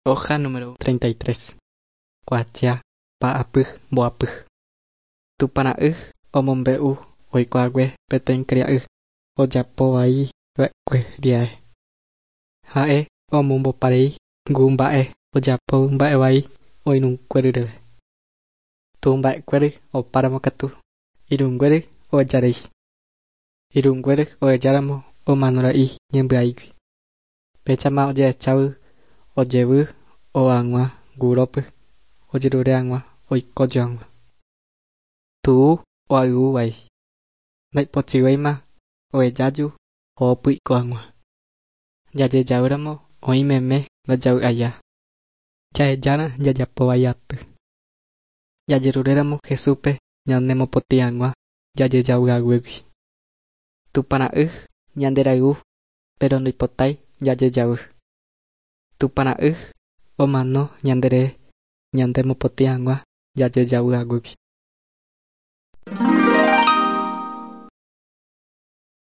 Hoja número 33. Kuatia pa'apy mboapy. Tupãra'y omombe'u oikohague peteĩ karia'y ojapovaiva'ekue riae. Ha'e omomboparei ngu mba'e ojapo mba'evai oirũnguéryreve. Tumba'ekuéry opáramo katu irũnguéry ohejarei. Irũnguéry ohejáramo omanora'ĩ ñembyaígui. Péichama ojehechávo ojevy ohag̃ua gurópy ojerure hag̃ua oikójo hag̃ua. Tu'u oayvúvai. Ndaipotĩvéima ohejáju ho'ópy hag̃ua. Jajejavýramo oĩmeme ndajavy'aiha. Jahejána jajapovai aty. Jajeruréramo Jesúspe ñanemopotĩ hag̃ua jajejavyhaguégui. Tupãra'y ñanderayhu pero ndoipotái jajejavy. Tupãra'y omano ñanderehe ñanemopotĩ hag̃ua jajejavyhaguégui.